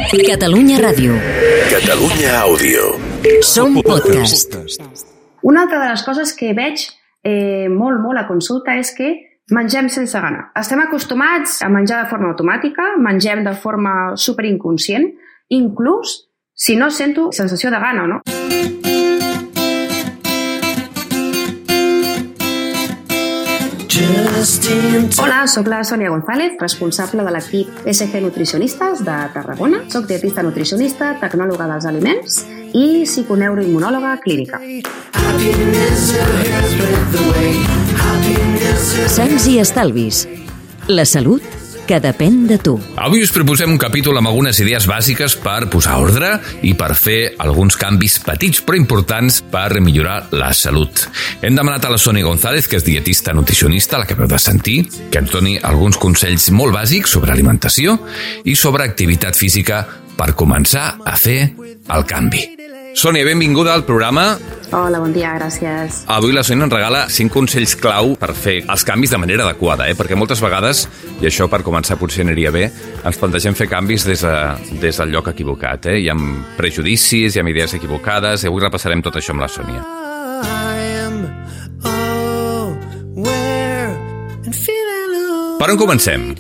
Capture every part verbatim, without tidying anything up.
Catalunya Ràdio. Catalunya Àudio. Som podcast. Una altra de les coses que veig eh, molt, molt a consulta és que mengem sense gana. Estem acostumats a menjar de forma automàtica, mengem de forma superinconscient, inclús si no sento sensació de gana, no? Hola, soc la Sònia González, responsable de l'equip S G Nutricionistes de Tarragona. Soc dietista nutricionista, tecnòloga dels aliments i psiconeuroimmunòloga clínica. Sants i estalvis. La salut que depèn de tu. Avui us proposem un capítol amb algunes idees bàsiques per posar ordre i per fer alguns canvis petits però importants per millorar la salut. Hem demanat a la Sònia González, que és dietista nutricionista, la que heu de sentir, que ens doni alguns consells molt bàsics sobre alimentació i sobre activitat física per començar a fer el canvi. Sònia, benvinguda al programa. Hola, bon dia, gràcies. Avui la Sònia ens regala cinc consells clau per fer els canvis de manera adequada, eh? Perquè moltes vegades, i això per començar potser aniria bé, ens plantegem fer canvis des, de, des del lloc equivocat. Eh? Hi ha prejudicis, hi ha idees equivocades, i avui repassarem tot això amb la Sònia. Per on comencem?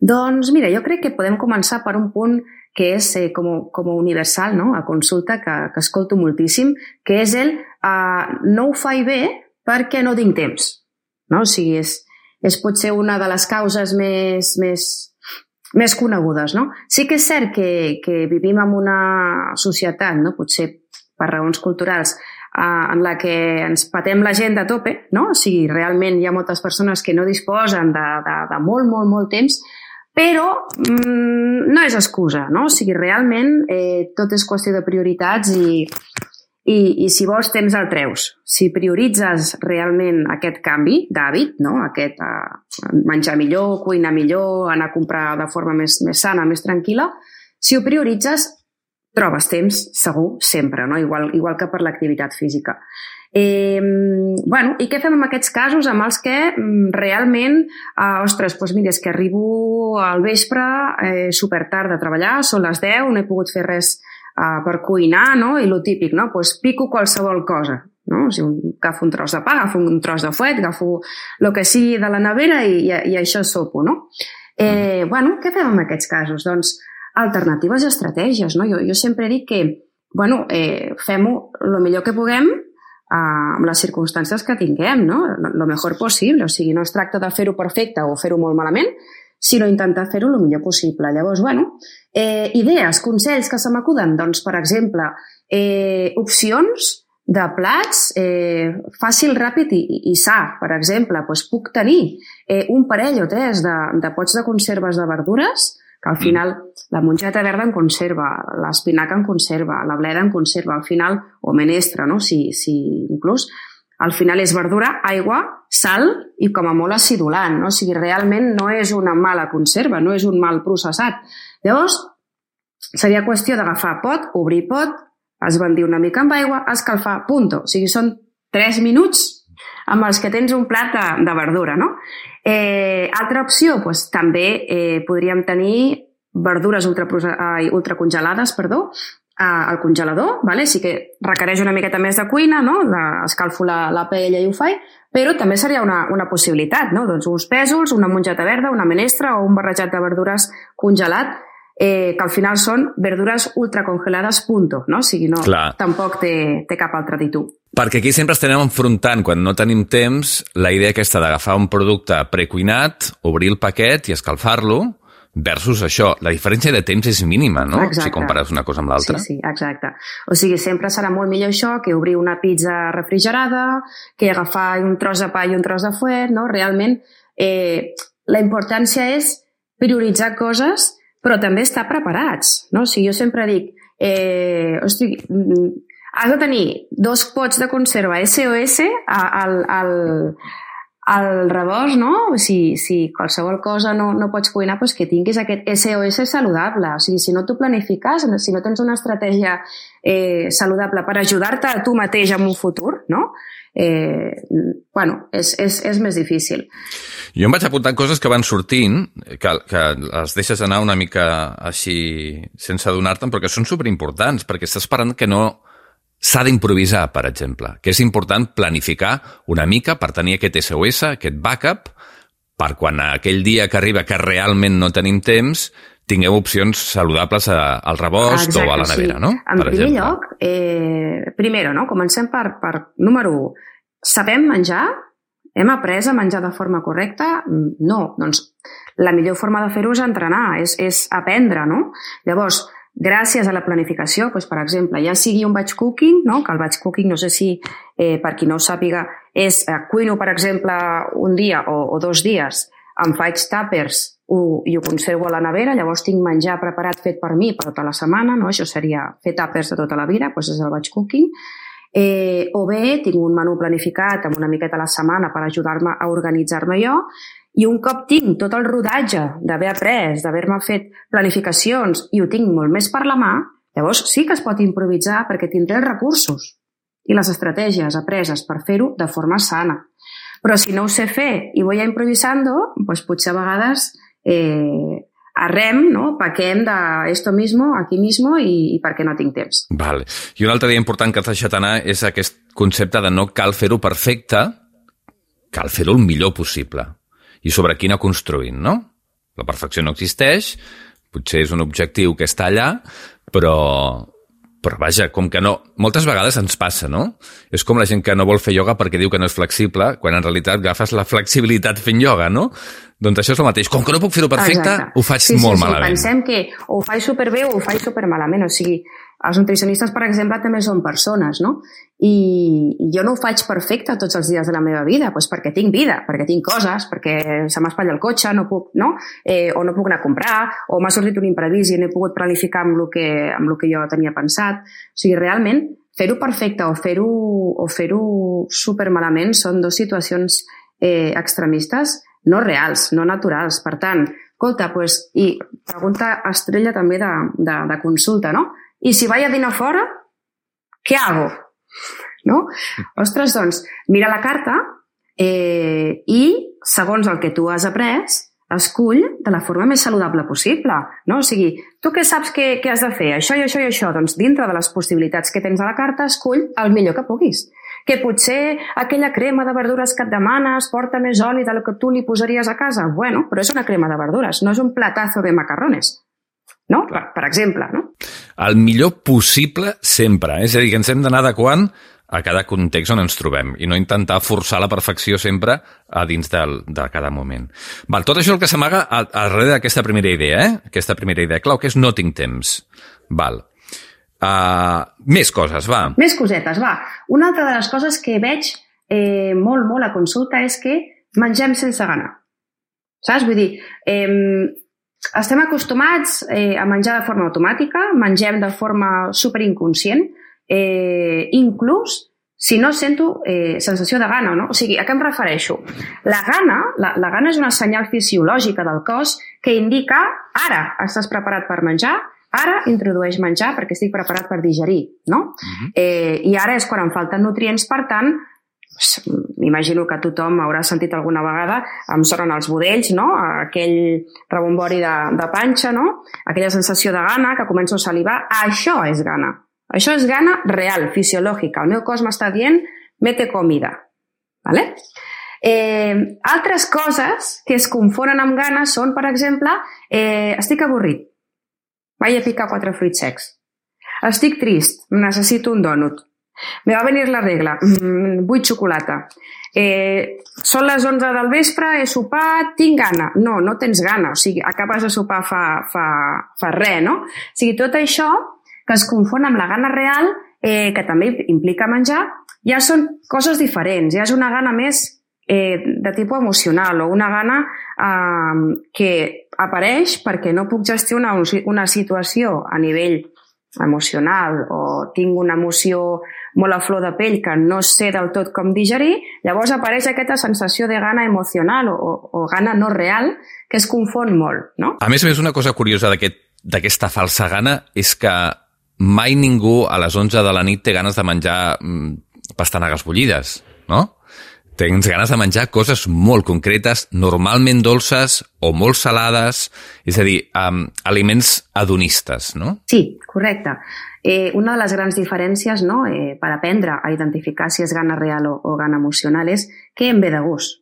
Doncs mira, jo crec que podem començar per un punt que és eh, com, com universal, no? A consulta, que, que escolto moltíssim, que és el uh, no ho faig bé perquè no tinc temps. No? O sigui, és, és potser una de les causes més, més, més conegudes. No? Sí que és cert que, que vivim en una societat, no? Potser per raons culturals, uh, en la que ens patem la gent de tope, no? O sigui, realment hi ha moltes persones que no disposen de, de, de molt, molt, molt temps, però mmm, no és excusa, no? O sigui, realment eh, tot és qüestió de prioritats i, i, i si vols temps el treus. Si prioritzes realment aquest canvi d'hàbit, no? Aquest eh, menjar millor, cuinar millor, anar a comprar de forma més, més sana, més tranquil·la, si ho prioritzes, trobes temps, segur, sempre, no? Igual, igual que per l'activitat física. Eh, bueno, i què fem en aquests casos amb els que mm, realment, eh, ostres, doncs mira, és que arribo al vespre eh, super tard de treballar, són les deu, no he pogut fer res eh, per cuinar, no? I lo típic, no? Pues pico qualsevol cosa, no? O sigui, agafo un tros de pa, agafo un tros de fuet, agafo el que sigui de la nevera i, i, i això sopo, no? Eh, bueno, què fem en aquests casos? Doncs alternatives i estratègies, no? Jo, jo sempre dic que, bueno, eh, fem-ho el millor que puguem Uh, amb les circumstàncies que tinguem, no? Lo mejor possible. O sigui, no es tracta de fer-ho perfecte o fer-ho molt malament, sinó intentar fer-ho el millor possible. Llavors, bueno, eh, idees, consells que se m'acuden, doncs, per exemple, eh, opcions de plats eh, fàcil, ràpid i, i sa. Per exemple, doncs puc tenir eh, un parell o tres de, de pots de conserves de verdures, que al final la mongeta verda en conserva, l'espinaca en conserva, la bleda en conserva, al final, o menestra, no? Si, si inclús, al final és verdura, aigua, sal i com a molt acidulant, no? O sigui, realment no és una mala conserva, no és un mal processat. Llavors, seria qüestió d'agafar pot, obrir pot, esbandir una mica amb aigua, escalfar, punto. O sigui, són tres minuts amb els que tens un plat de, de verdura, no? Eh, altra opció, doncs, també eh, podríem tenir verdures ultra, eh, ultracongelades, perdó, eh, al congelador, vale? Sí que requereix una miqueta més de cuina, no? La, escalfo la, la paella i ho faig, però també seria una, una possibilitat, no? Doncs uns pèsols, una mongeta verda, una menestra o un barrejat de verdures congelat, eh, que al final són verdures ultracongelades, punto, no? O sigui, no, Clar. Tampoc té, té cap altre títol. Perquè aquí sempre estem enfrontant, quan no tenim temps, la idea aquesta d'agafar un producte precuinat, obrir el paquet i escalfar-lo, versus això. La diferència de temps és mínima, no? Exacte. Si compares una cosa amb l'altra. Sí, sí, exacte. O sigui, sempre serà molt millor això que obrir una pizza refrigerada, que agafar un tros de pa i un tros de fuet, no? Realment, eh, la importància és prioritzar coses, però també estar preparats, no? O sigui, jo sempre dic, eh, hosti, has de tenir dos pots de conserva S O S al, al, al rebost, no? Si, si qualsevol cosa no, no pots cuinar, doncs que tinguis aquest S O S saludable. O sigui, si no t'ho planifiques, si no tens una estratègia eh, saludable per ajudar-te a tu mateix en un futur, no? Eh, bueno, és, és, és més difícil. Jo em vaig apuntant coses que van sortint, que, que les deixes anar una mica així sense adonar-te'n, però que són superimportants, perquè estàs esperant que no s'ha d'improvisar, per exemple, que és important planificar una mica per tenir aquest S O S, aquest backup, per quan aquell dia que arriba que realment no tenim temps, tingueu opcions saludables a, al rebost Exacte, o a la nevera, sí. no? En primer exemple. lloc, eh, primero, no? Comencem per, per número u. Sabem menjar? Hem après a menjar de forma correcta? No. Doncs la millor forma de fer-ho és entrenar, és, és aprendre, no? Llavors, gràcies a la planificació, doncs, per exemple, ja sigui un batch cooking, no? Que el batch cooking, no sé si eh, per qui no ho sàpiga, és eh, cuino, per exemple, un dia o, o dos dies, em faig tàpers ho, i ho conservo a la nevera, llavors tinc menjar preparat fet per mi per tota la setmana, no? Això seria fer tàpers de tota la vida, doncs és el batch cooking. Eh, o bé tinc un menú planificat amb una miqueta a la setmana per ajudar-me a organitzar-me jo, i un cop tinc tot el rodatge d'haver après, d'haver-me fet planificacions i ho tinc molt més per la mà, llavors sí que es pot improvisar perquè tindré els recursos i les estratègies apreses per fer-ho de forma sana. Però si no ho sé fer i voy a improvisando, doncs potser a vegades eh, arrem, no? Paquem de esto mismo, aquí mismo i, i perquè no tinc temps. Vale. I un altre dia important que t'has deixat anar és aquest concepte de no cal fer-ho perfecte, cal fer-ho el millor possible. I sobre quina construint, no? La perfecció no existeix, potser és un objectiu que està allà, però, però vaja, com que no... Moltes vegades ens passa, no? És com la gent que no vol fer ioga perquè diu que no és flexible, quan en realitat agafes la flexibilitat fent ioga, no? Doncs això és el mateix. Com que no puc fer-ho perfecte, Exacte. ho faig sí, molt sí, sí. malament. Pensem que o ho faig superbé o ho faig supermalament, o sigui, els nutricionistes, per exemple, també són persones, no? I, i jo no ho faig perfecte tots els dies de la meva vida, doncs perquè tinc vida, perquè tinc coses, perquè se m'espatlla el cotxe, no puc, no? Eh, o no puc anar a comprar, o m'ha sortit un imprevist i no he pogut planificar amb el que, amb el que jo tenia pensat. O sigui, realment, fer-ho perfecte o fer-ho o fer-ho supermalament són dues situacions eh, extremistes no reals, no naturals. Per tant, escolta, pues, i pregunta estrella també de, de, de consulta, no? I si vaig a dinar fora, què hago? No? Ostres, doncs, mira la carta eh, i, segons el que tu has après, escull de la forma més saludable possible. No? O sigui, tu què saps que, que has de fer? Això i això i això. Doncs dintre de les possibilitats que tens a la carta, escull el millor que puguis. Que potser aquella crema de verdures que et demanes porta més oli del que tu li posaries a casa. Bueno, però és una crema de verdures, no és un platazo de macarrones. No? Per, per exemple, no? El millor possible sempre. És a dir, que ens hem d'anar adequant a cada context on ens trobem i no intentar forçar la perfecció sempre a dins de, de cada moment. Val, tot això és el que s'amaga darrere d'aquesta primera idea, eh? Aquesta primera idea clau, que és no tinc temps. Val. Uh, més coses, va. Més cosetes, va. Una altra de les coses que veig eh, molt, molt a consulta és que mengem sense gana. Saps? Vull dir, eh, estem acostumats eh, a menjar de forma automàtica, mengem de forma superinconscient, eh, inclús si no sento eh, sensació de gana, no? O sigui, a què em refereixo? La gana, la, la gana és una senyal fisiològica del cos que indica ara estàs preparat per menjar, ara introdueix menjar perquè estic preparat per digerir, no? Uh-huh. eh, I ara és quan em falten nutrients, per tant, m'imagino que tothom haurà sentit alguna vegada, em sonen els budells, no? Aquell rebombori de, de panxa, no? Aquella sensació de gana, que començo a salivar. Això és gana. Això és gana real, fisiològica. El meu cos m'està dient, mete comida. ¿Vale? Eh, altres coses que es confonen amb gana són, per exemple, eh, estic avorrit, vaig a picar quatre fruits secs. Estic trist, necessito un dònut. Me va venir la regla, mm, vull xocolata. Eh, són les onze del vespre, he sopat, tinc gana. No, no tens gana, o sigui, acabes de sopar fa, fa, fa res, no? O sigui, tot això que es confon amb la gana real, eh, que també implica menjar, ja són coses diferents, ja és una gana més eh, de tipus emocional o una gana eh, que apareix perquè no puc gestionar una situació a nivell emocional o tinc una emoció molt a flor de pell que no sé del tot com digerir, llavors apareix aquesta sensació de gana emocional o, o gana no real que es confon molt, no? A més a més, una cosa curiosa d'aquesta aquest, falsa gana és que mai ningú a les onze de la nit té ganes de menjar pastanagues bullides, no? Tens ganes de menjar coses molt concretes, normalment dolces o molt salades, és a dir, um, aliments hedonistes, no? Sí, correcte. Eh, una de les grans diferències, no, eh, per aprendre a identificar si és gana real o, o gana emocional és què em ve de gust.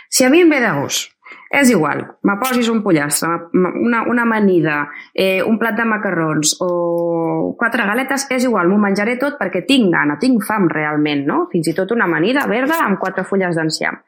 Si a mi em ve de gust, és igual, me posis un pollastre, una, una amanida, eh, un plat de macarrons o quatre galetes, és igual, m'ho menjaré tot perquè tinc gana, tinc fam realment, no? Fins i tot una amanida verda amb quatre fulles d'enciam.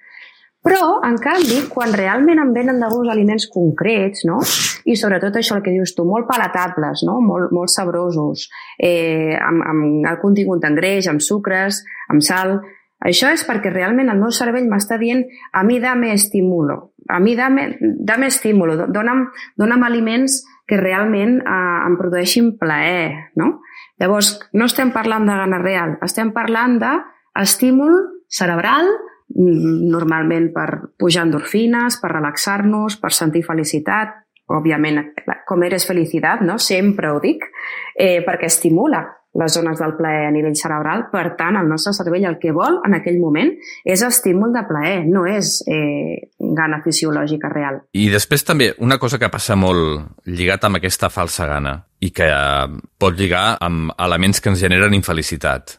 Però, en canvi, quan realment em venen de gust aliments concrets, no? I sobretot això el que dius tu, molt palatables, no? Molt, molt sabrosos, eh, amb, amb el contingut en greix, amb sucres, amb sal. Això és perquè realment el meu cervell m'està dient a mi dame estimulo, a mi dame, dame estimulo, dona'm, dona'm aliments que realment eh, em produeixin plaer, no? Llavors, no estem parlant de gana real, estem parlant d'estímul cerebral, normalment per pujar endorfines, per relaxar-nos, per sentir felicitat, òbviament, com eres felicitat, no? Sempre ho dic, eh, perquè estimula les zones del plaer a nivell cerebral. Per tant, el nostre cervell el que vol en aquell moment és estímul de plaer, no és eh, gana fisiològica real. I després també una cosa que passa molt lligat amb aquesta falsa gana i que pot lligar amb elements que ens generen infelicitat.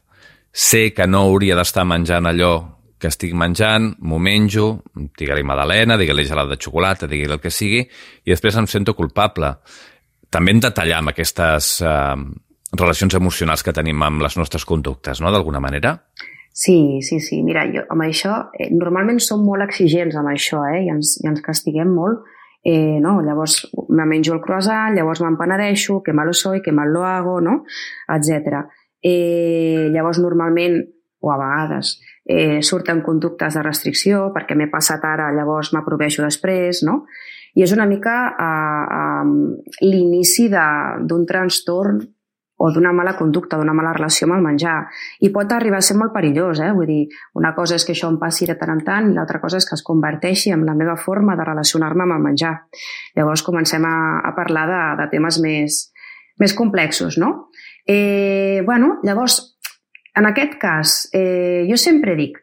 Sé que no hauria d'estar menjant allò que estic menjant, m'ho menjo, digue-li magdalena, digue-li gelat de xocolata, digue-li el que sigui, i després em sento culpable. També hem de tallar amb aquestes eh, relacions emocionals que tenim amb les nostres conductes, no?, d'alguna manera? Sí, sí, sí. Mira, jo amb això, eh, normalment som molt exigents amb això, eh, i ens, i ens castiguem molt. Eh, no? Llavors me menjo el croissant, llavors me'n penedeixo, que malo soy, que mal lo hago, no?, etcètera. Eh, llavors normalment, o a vegades, eh, surten conductes de restricció perquè m'he passat ara, llavors m'aproveixo després, no? I és una mica eh, eh, l'inici d'un trastorn o d'una mala conducta, d'una mala relació amb el menjar. I pot arribar a ser molt perillós, eh? Vull dir, una cosa és que això em passi de tant en tant i l'altra cosa és que es converteixi en la meva forma de relacionar-me amb el menjar. Llavors comencem a, a parlar de, de temes més, més complexos, no? Eh, bueno, llavors, en aquest cas, eh, jo sempre dic,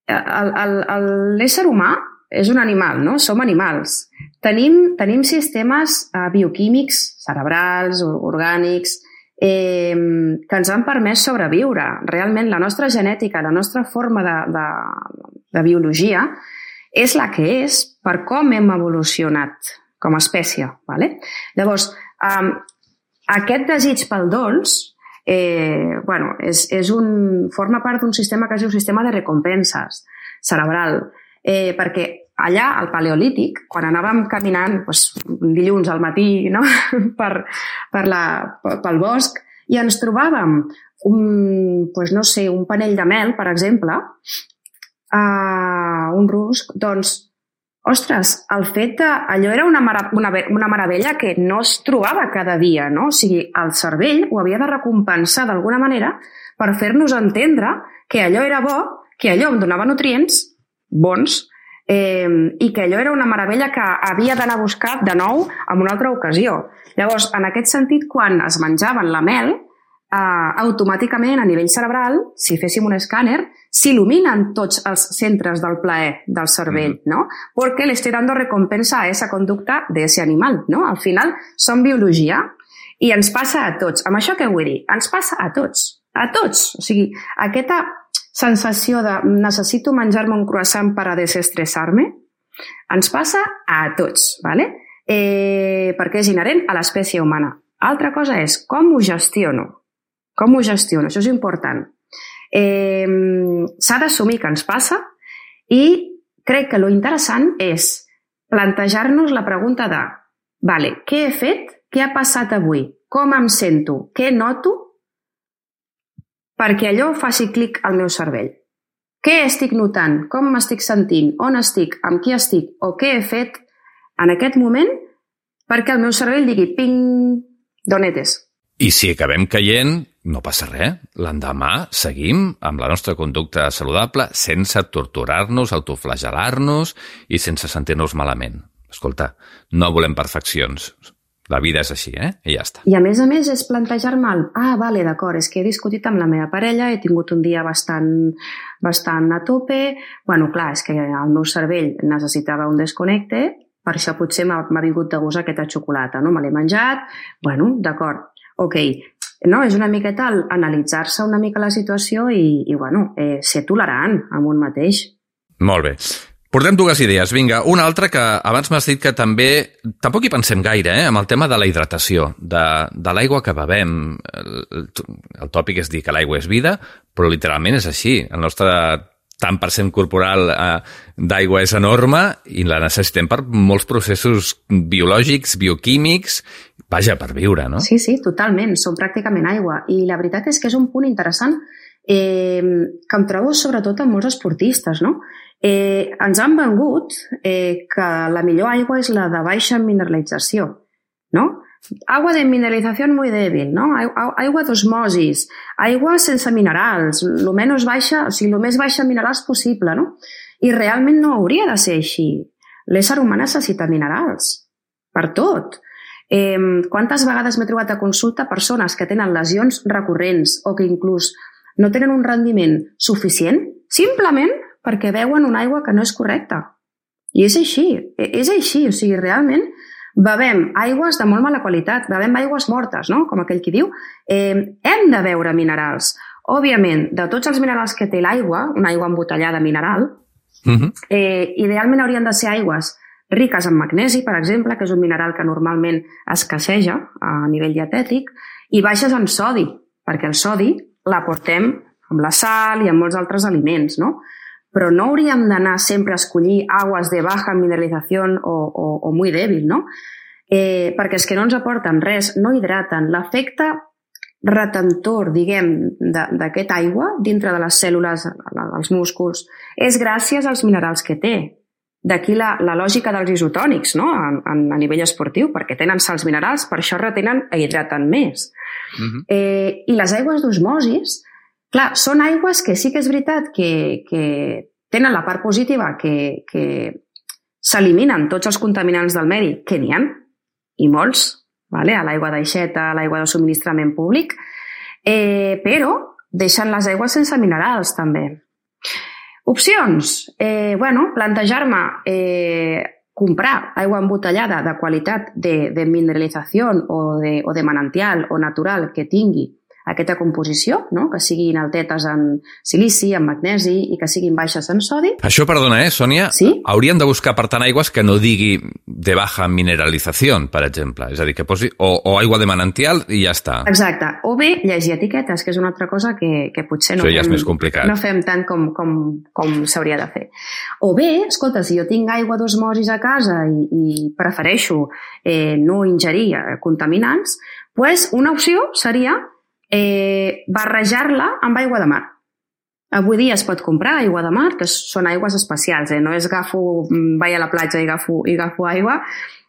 l'ésser humà és un animal, no? Som animals. Tenim, tenim sistemes eh, bioquímics, cerebrals, orgànics, eh, que ens han permès sobreviure. Realment, la nostra genètica, la nostra forma de, de, de biologia és la que és per com hem evolucionat com a espècie. ¿Vale? Llavors, eh, aquest desig pel dolç Eh, bueno, és, és un, forma part d'un sistema que és un sistema de recompenses cerebral, eh, perquè allà, al Paleolític, quan anàvem caminant doncs, dilluns al matí, no? per, per la, pel bosc, i ens trobàvem un, doncs, no sé, un panell de mel, per exemple, eh, un rusc, doncs ostres, el fet de... Allò era una, mara, una, una meravella que no es trobava cada dia, no? O sigui, el cervell ho havia de recompensar d'alguna manera per fer-nos entendre que allò era bo, que allò em donava nutrients bons eh, i que allò era una meravella que havia d'anar a buscar de nou en una altra ocasió. Llavors, en aquest sentit, quan es menjaven la mel, Uh, automàticament a nivell cerebral, si féssim un escàner, s'il·luminen tots els centres del plaer del cervell, ¿no? Porque le estoy dando recompensa a esa conducta de ese animal, ¿no? Al final som biologia i ens passa a tots. Amb això què vull dir? Ens passa a tots, a tots. O sigui, aquesta sensació de necessito menjar-me un croissant per a desestressar-me ens passa a tots, ¿vale? Eh, perquè és inherent a l'espècie humana. Altra cosa és com ho gestiono. Com ho gestiono? Això és important. Eh, s'ha d'assumir que ens passa i crec que lo interessant és plantejar-nos la pregunta de vale, què he fet? Què ha passat avui? Com em sento? Què noto? Perquè allò faci clic al meu cervell. Què estic notant? Com m'estic sentint? On estic? Amb qui estic? O què he fet en aquest moment perquè el meu cervell digui ping, d'on eres? I si acabem caient, no passa res. L'endemà seguim amb la nostra conducta saludable sense torturar-nos, autoflagelar-nos i sense sentir-nos malament. Escolta, no volem perfeccions. La vida és així, eh? I ja està. I a més a més és plantejar-me el... Ah, vale, d'acord, és que he discutit amb la meva parella, he tingut un dia bastant, bastant a tope... Bueno, clar, és que el meu cervell necessitava un desconnecte, per això potser m'ha vingut de gust aquesta xocolata, no? Me l'he menjat... Bueno, d'acord, ok. No, és una miqueta analitzar-se una mica la situació i, i bueno, eh, ser tolerant amb un mateix. Molt bé. Portem dues idees. Vinga, una altra que abans m'has dit que també... Tampoc hi pensem gaire, eh?, amb el tema de la hidratació, de, de l'aigua que bevem. El, el tòpic és dir que l'aigua és vida, però literalment és així. El nostre tant per cent corporal eh, d'aigua és enorme i la necessitem per molts processos biològics, bioquímics, vaja, per viure, no? Sí, sí, totalment. Som pràcticament aigua. I la veritat és que és un punt interessant eh, que em trobo sobretot amb molts esportistes, no? Eh, ens han vengut eh, que la millor aigua és la de baixa mineralització, no? Agua de mineralització muy débil, no? Aigua d'osmosis, aigua sense minerals, lo menys baixa, o sigui, lo més baixa minerals possible, no? I realment no hauria de ser així. L'ésser humà necessita minerals, per tot. Eh, quantes vegades m'he trobat a consulta persones que tenen lesions recurrents o que inclús no tenen un rendiment suficient, simplement perquè beuen una aigua que no és correcta. I és així, és així, o sigui, realment bevem aigües de molt mala qualitat, bevem aigües mortes, no? Com aquell qui diu, eh, hem de beure minerals. Òbviament, de tots els minerals que té l'aigua, una aigua embotellada mineral, uh-huh. eh, idealment haurien de ser aigües riques en magnesi, per exemple, que és un mineral que normalment escasseja a nivell dietètic, i baixes en sodi, perquè el sodi l'aportem amb la sal i amb molts altres aliments, no? Però no hauríem d'anar sempre a escollir aigües de baja mineralització o, o, o muy débil, no? Eh, perquè és que no ens aporten res, no hidraten. L'efecte retentor, diguem, d'aquesta aigua dintre de les cèl·lules, dels músculs, és gràcies als minerals que té. D'aquí la, la lògica dels isotònics, no? A, a nivell esportiu, perquè tenen sals minerals, per això retenen i hidraten més. Uh-huh. eh, I les aigües d'osmosis, clar, són aigües que sí que és veritat que, que tenen la part positiva, que, que s'eliminen tots els contaminants del medi, que n'hi ha, i molts, vale? A l'aigua d'aixeta, a l'aigua de subministrament públic, eh, però deixen les aigües sense minerals, també. Opcions. Eh, bueno, plantejar-me eh, comprar aigua embotellada de qualitat de, de mineralització o de, o de manantial o natural que tingui aquesta composició, no? Que siguin altetes en silici, en magnesi i que siguin baixes en sodi. Això, perdona, eh, Sònia? Sí? Hauríem de buscar, per tant, aigües que no digui de baja mineralització, per exemple. És a dir, que posi o, o aigua de manantial i ja està. Exacte. O bé llegir etiquetes, que és una altra cosa que, que potser no, Això ja fem, és més complicat. no fem tant com, com, com s'hauria de fer. O bé, escolta, si jo tinc aigua d'osmosis a casa i, i prefereixo eh, no ingerir contaminants, pues una opció seria Eh, barrejar-la amb aigua de mar. Avui dia es pot comprar aigua de mar, que són aigües especials, eh? No és agafo, vaig a la platja i agafo, i agafo aigua,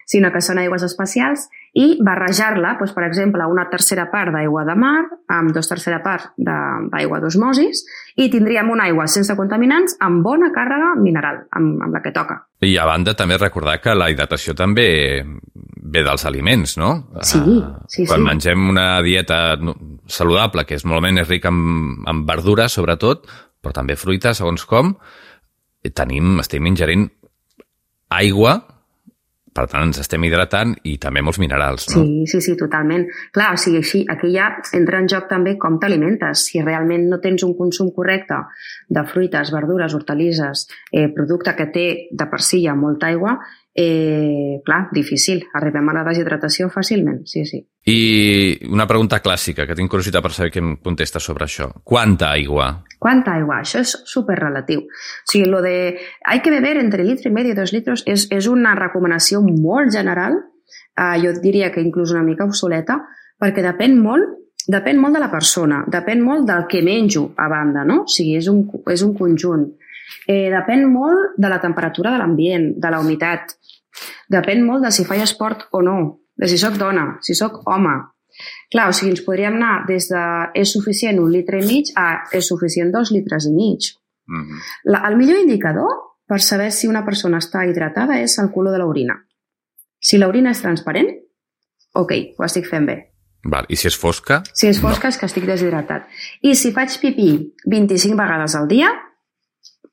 sinó que són aigües especials, i barrejar-la, doncs, per exemple, una tercera part d'aigua de mar amb dos tercera part d'aigua d'osmosis, i tindríem una aigua sense contaminants amb bona càrrega mineral, amb, amb la que toca. I a banda també recordar que la hidratació també ve dels aliments, no? Sí, sí, Quan sí. mengem una dieta saludable, que és molt més rica en, en verdures, sobretot, però també fruita, segons com, tenim, estem ingerint aigua, per tant ens estem hidratant, i també molts minerals, no? Sí, sí, sí, totalment. Clar, o sigui, així, aquí ja entra en joc també com t'alimentes. Si realment no tens un consum correcte de fruites, verdures, hortalisses, eh, producte que té de per si ja molta aigua, eh, clar, difícil. Arribem a la deshidratació fàcilment, sí, sí. I una pregunta clàssica, que tinc curiositat per saber què em contesta sobre això. Quanta aigua? Quanta aigua? Això és superrelatiu. O sigui, lo de hay que beber entre litro y medio i dos litros és, és una recomanació molt general, eh, jo diria que inclús una mica obsoleta, perquè depèn molt, depèn molt de la persona, depèn molt del que menjo a banda, no? O sigui, és un, és un conjunt. Eh, depèn molt de la temperatura de l'ambient, de la humitat, depèn molt de si faig esport o no, de si soc dona, si soc home. Clar, o sigui, ens podríem anar des de és suficient un litre i mig a és suficient dos litres i mig. Mm-hmm. La, el millor indicador per saber si una persona està hidratada és el color de l'orina. Si l'orina és transparent, ok, ho estic fent bé. Val. I si és fosca? Si és fosca no. És que estic deshidratat. I si faig pipí vint-i-cinc vegades al dia,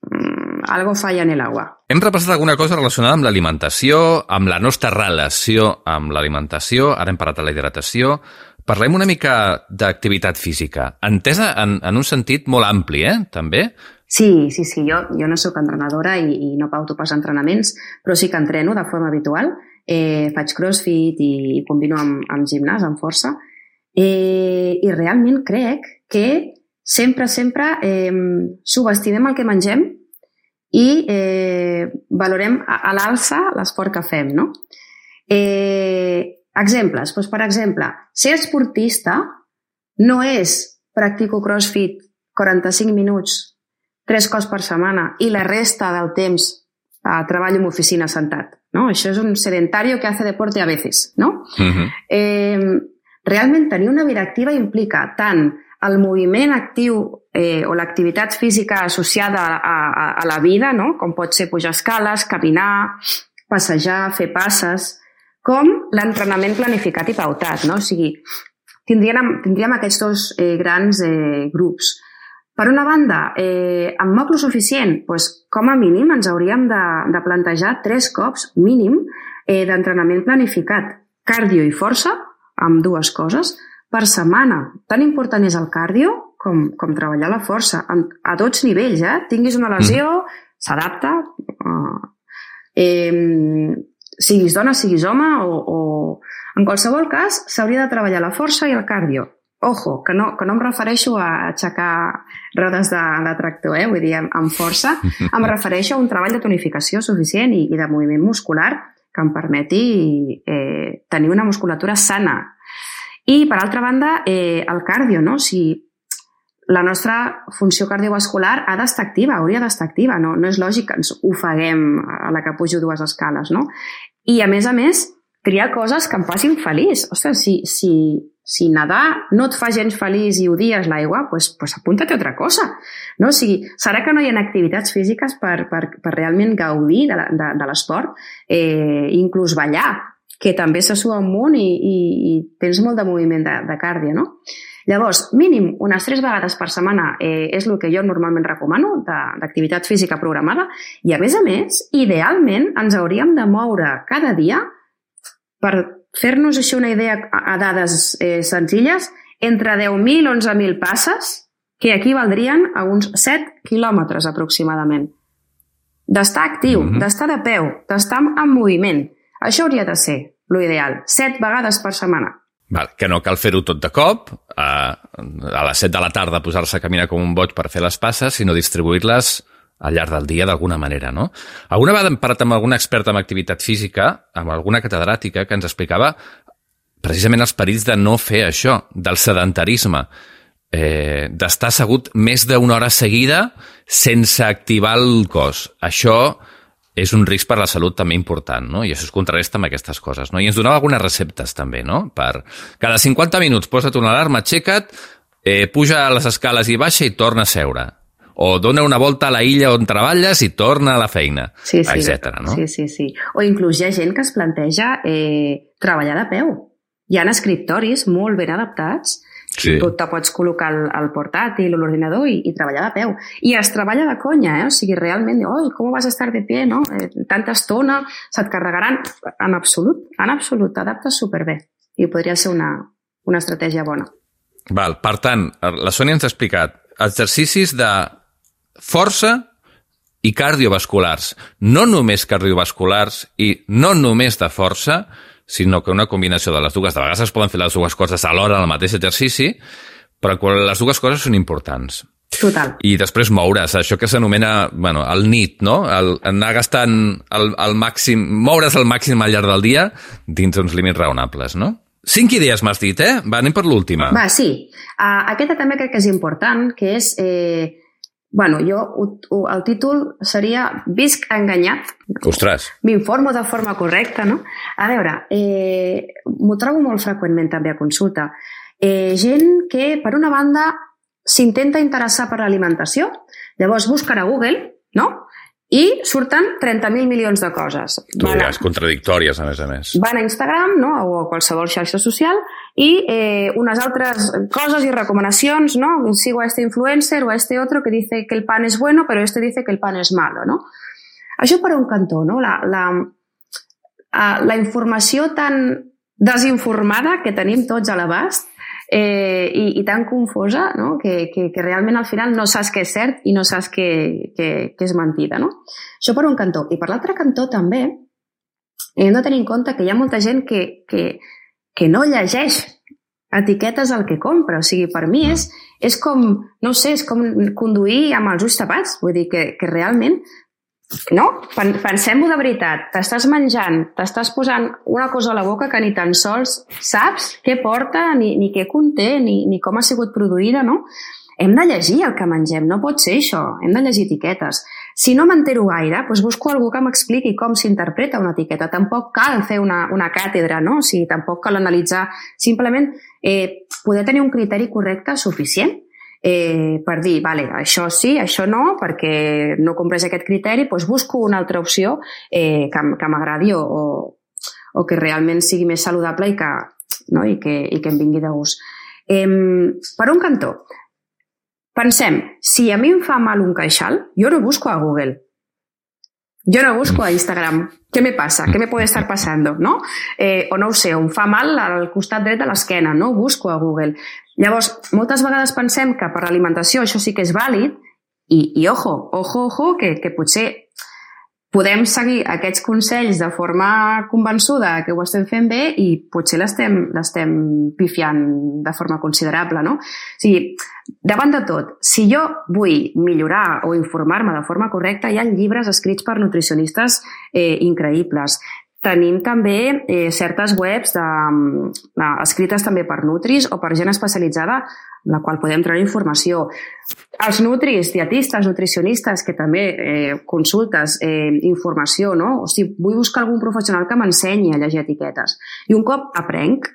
mmm, algo falla en l'aigua. Hem repassat alguna cosa relacionada amb l'alimentació, amb la nostra relació amb l'alimentació, ara hem parlat de la hidratació. Parlem una mica d'activitat física, entesa en, en un sentit molt ampli, eh, també? Sí, sí, sí. Jo, jo no soc entrenadora i, i no pauto pas entrenaments, però sí que entreno de forma habitual. Eh, faig crossfit i, i combino amb, amb gimnàs, amb força. Eh, I realment crec que sempre, sempre eh, subestimem el que mengem i eh, valorem a, a l'alça l'esport que fem, no? Eh, exemples. Doncs, per exemple, ser esportista no és practico crossfit quaranta-cinc minuts tres cops per setmana i la resta del temps eh, treballo en oficina sentat. ¿No? Això és un sedentario que hace deporte a veces, ¿no? Uh-huh. eh, realment tenir una vida activa implica tant el moviment actiu eh, o l'activitat física associada a, a, a la vida, no? Com pot ser pujar escales, caminar, passejar, fer passes, com l'entrenament planificat i pautat, no? O sigui, tindríem, tindríem aquests dos eh, grans eh, grups. Per una banda, eh, amb moc lo suficient, doncs, com a mínim ens hauríem de, de plantejar tres cops mínim eh, d'entrenament planificat, cardio i força, amb dues coses, per setmana. Tan important és el cardio com, com treballar la força, a tots nivells, eh? Tinguis una lesió, mm. s'adapta, eh, eh, siguis dona, siguis home, o, o en qualsevol cas s'hauria de treballar la força i el cardio. Ojo, que no, que no em refereixo a aixecar rodes de, de tractor, eh? Vull dir, amb, amb força. Em refereixo a un treball de tonificació suficient i, i de moviment muscular que em permeti eh, tenir una musculatura sana. I, per altra banda, eh, el cardio, no? Si la nostra funció cardiovascular ha d'estar activa, hauria d'estar activa. No, no és lògic que ens ofeguem a la que pujo dues escales, no? I, a més a més, triar coses que em facin feliç. Ostres, si... si Si nedar no et fa gens feliç i odies l'aigua, doncs, doncs apunta't a altra cosa. No? O sigui, serà que no hi ha activitats físiques per, per, per realment gaudir de, de, de l'esport, eh, inclús ballar, que també se sua un munt i, i, i tens molt de moviment de, de cardio, no? Llavors, mínim unes tres vegades per setmana eh, és el que jo normalment recomano d'activitat física programada i, a més a més, idealment ens hauríem de moure cada dia per fer-nos així una idea a dades eh, senzilles, entre deu mil i onze mil passes, que equivaldrien a uns set quilòmetres aproximadament. D'estar actiu, mm-hmm. d'estar de peu, d'estar en moviment. Això hauria de ser l'ideal, set vegades per setmana. Val, que no cal fer-ho tot de cop, a, a les set de la tarda posar-se a caminar com un boig per fer les passes, sinó distribuir-les al llarg del dia d'alguna manera, no? Alguna vegada hem parlat amb alguna experta en activitat física, amb alguna catedràtica, que ens explicava precisament els perills de no fer això, del sedentarisme, eh, d'estar assegut més d'una hora seguida sense activar el cos. Això és un risc per la salut també important, no? I això es contrarresta amb aquestes coses, no? I ens donava algunes receptes també, no? Per cada cinquanta minuts posa't una alarma, aixeca't, eh, puja a les escales i baixa i torna a seure. O dona una volta a la illa on treballes i torna a la feina, sí, sí. etcètera. No? Sí, sí, sí. O inclús hi ha gent que es planteja eh, treballar de peu. Hi ha escriptoris molt ben adaptats, sí. Tu te pots col·locar el, el portàtil o l'ordinador i, i treballar de peu. I es treballa de conya, eh? O sigui, realment, oh, com vas a estar de pie, no? Eh, tanta estona, se't carregaran. En absolut, en absolut, t'adaptes superbé. I podria ser una, una estratègia bona. Val, per tant, la Sònia ens ha explicat exercicis de força i cardiovasculars. No només cardiovasculars i no només de força, sinó que una combinació de les dues. De vegades es poden fer les dues coses alhora en el mateix exercici, però les dues coses són importants. Total. I després moure's, això que s'anomena, bueno, el N I T, no? El, anar gastant el, el màxim, moure's al màxim al llarg del dia dins uns límits raonables, no? Cinc idees m'has dit, eh? Va, anem per l'última. Va, sí. Uh, aquesta també crec que és important, que és... Eh, bueno, jo, el títol seria Visc enganyat. Ostres! M'informo de forma correcta, no? A veure, eh, m'ho trobo molt freqüentment també a consulta. Eh, gent que, per una banda, s'intenta interessar per l'alimentació, llavors busquen a Google, no?, i surten trenta mil milions de coses. Tu diràs contradictòries, a més a més. Van a Instagram, no?, o a qualsevol xarxa social i eh, unes altres coses i recomanacions, no? Sigo a este influencer o a este otro que dice que el pan es bueno, pero este dice que el pan es malo, no? Això per un cantó, no? La, la, la informació tan desinformada que tenim tots a l'abast eh, i, i tan confosa, no? que, que, que realment al final no saps què és cert i no saps què, què, què és mentida. No? Això per un cantó. I per l'altre cantó també hem de tenir en compte que hi ha molta gent que, que, que no llegeix etiquetes al que compra. O sigui, per mi és, és com, no sé, és com conduir amb els ulls tapats. Vull dir que, que realment no? Pensem-ho de veritat. T'estàs menjant, t'estàs posant una cosa a la boca que ni tan sols saps què porta, ni, ni què conté, ni, ni com ha sigut produïda, no? Hem de llegir el que mengem, no pot ser això. Hem de llegir etiquetes. Si no m'entero gaire, doncs busco algú que m'expliqui com s'interpreta una etiqueta. Tampoc cal fer una, una càtedra, no? O sigui, tampoc cal analitzar. Simplement eh, poder tenir un criteri correcte suficient Eh, per dir, vale, això sí, això no, perquè no compleix aquest criteri, doncs busco una altra opció eh, que, que m'agradi o, o, o que realment sigui més saludable i que, no? I que, i que em vingui de gust. Eh, per un cantó, pensem, si a mi em fa mal un queixal, jo no busco a Google. Yo no busco a Instagram. ¿Qué me pasa? ¿Qué me puede estar pasando? ¿No? Eh, o no ho sé, em fa mal al costat dret de l'esquena. No busco a Google. Llavors, moltes vegades pensem que per l'alimentació això sí que és vàlid i, i ojo, ojo, ojo, que, que potser podem seguir aquests consells de forma convençuda que ho estem fent bé i potser l'estem l'estem pifiant de forma considerable, no? O sigui, davant de tot, si jo vull millorar o informar-me de forma correcta, hi ha llibres escrits per nutricionistes eh, increïbles. Tenim també eh, certes webs de, eh, escrites també per nutris o per gent especialitzada en la qual podem treure informació. Els nutris, dietistes, nutricionistes, que també eh, consultes eh, informació, no? O sigui, vull buscar algun professional que m'ensenyi a llegir etiquetes. I un cop aprenc,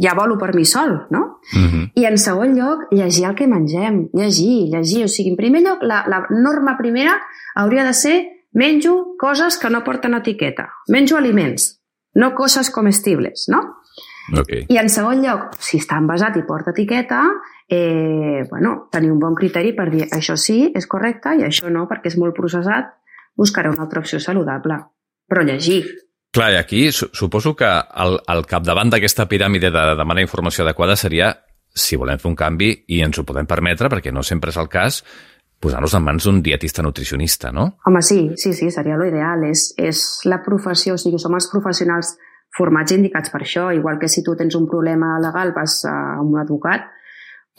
ja volo per mi sol, no? Mm-hmm. I en segon lloc, llegir el que mengem. Llegir, llegir. O sigui, en primer lloc, la, la norma primera hauria de ser menjo coses que no porten etiqueta. Menjo aliments, no coses comestibles, no? Okay. I en segon lloc, si està envasat i porta etiqueta, eh, bueno, tenir un bon criteri per dir això sí, és correcte, i això no, perquè és molt processat, buscaré una altra opció saludable. Però llegir. Clar, i aquí suposo que el, el capdavant d'aquesta piràmide de demanar informació adequada seria, si volem fer un canvi, i ens ho podem permetre, perquè no sempre és el cas, posar-nos en mans d'un dietista nutricionista, no? Home, sí, sí, sí, seria l'ideal. És, és la professió, o sigui, som els professionals formats i indicats per això, igual que si tu tens un problema legal vas a un advocat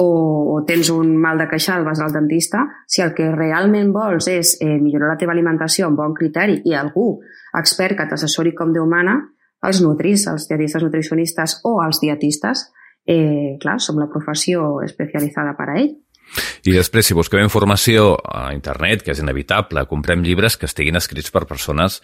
o, o tens un mal de queixal vas al dentista. Si el que realment vols és eh, millorar la teva alimentació amb bon criteri i algú expert que t'assessori com Déu mana, els nutris, els dietistes nutricionistes o els dietistes, eh, clar, som la professió especialitzada per a ell. I després, si busquem informació a internet, que és inevitable, comprem llibres que estiguin escrits per persones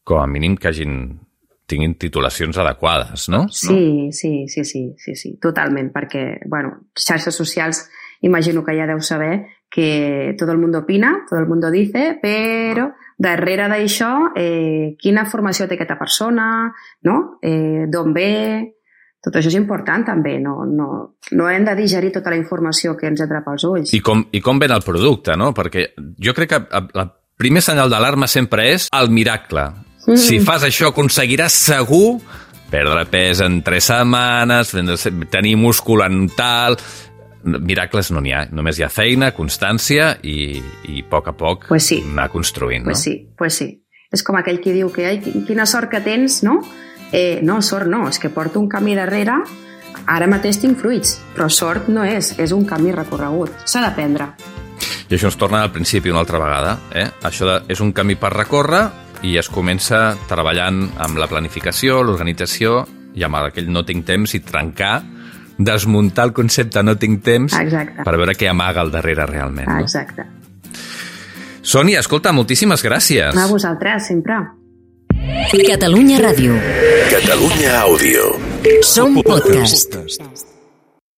com a mínim que hagin, tinguin titulacions adequades, no? Sí, sí, sí, sí, sí, sí, totalment, perquè, bueno, xarxes socials imagino que ja deu saber que tot el món opina, tot el món dice, però darrere d'això, eh, quina formació té aquesta persona, no? Eh, d'on ve... Tot això és important també, no, no, no hem de digerir tota la informació que ens entra pels ulls. I com, i com ven el producte, no? Perquè jo crec que el primer senyal d'alarma sempre és el miracle. Mm. Si fas això aconseguiràs segur perdre pes en tres setmanes, tenir múscul en tal... Miracles no n'hi ha, només hi ha feina, constància i, i a poc a poc pues sí. anar construint, pues no? Sí, pues sí. És com aquell que diu que ai, quina sort que tens, no? Eh, no, sort no, és que porto un camí darrere, ara mateix tinc fruits, però sort no és, és un camí recorregut, s'ha d'aprendre. I això ens torna al principi una altra vegada, eh? Això de, és un camí per recórrer i es comença treballant amb la planificació, l'organització i amb aquell no tinc temps i trencar desmuntar el concepte no tinc temps. Exacte. Per veure què amaga al darrere realment. No? Exacte. Sònia, escolta, moltíssimes gràcies. A vosaltres, sempre. Catalunya Ràdio. Catalunya Àudio. Som podcast.